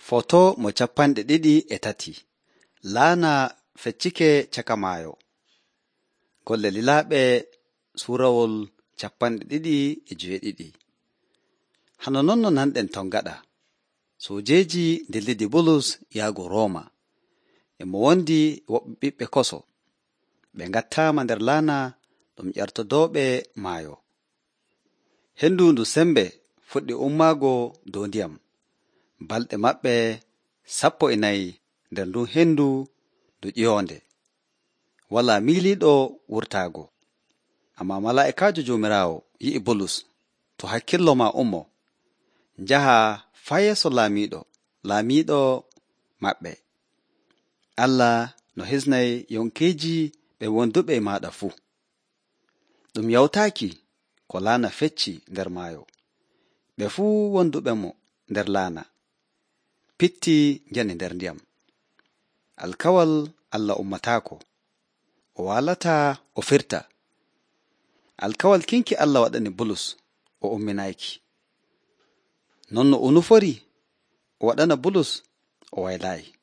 Foto mo 23. Laana feccike caka maayo. Golle lilaaɓe suurawol 27. Hano non no nanɗen ton gaɗa. Soojeeji ndillidi Bulus yaago Rooma. E mo wondi woɓɓe ɓiɓɓe koso. Ɓe ngattaama nder laana ɗum ƴartodooɓe maayo. Hendu ndu sembe fuɗɗi ummaago dow ndiyam. Balɗe maɓɓe 14 nder ndun hendu ndu ƴiwonde. Walaa miiliiɗo wurtaago. Ammaa malaa'ikaajo Joomiraawo yi'i Bulus, to hakkillo maa ummo, njaha faa yeeso laamiiɗo maɓɓe. Allah no hisnay yonkeeji ɓe wonduɓe e maaɗa fuu. Ɗum yawtaaki ko laana fecci nder maayo. Ɓe fuu wonduɓe mo nder laana pitti njani nder ndiyam. Alkawal Allah ummataako, o waalataa o firta. Alkawal kinki Allah waɗani Bulus o umminaaki. Non no o nufori o waɗana Bulus o waylaayi.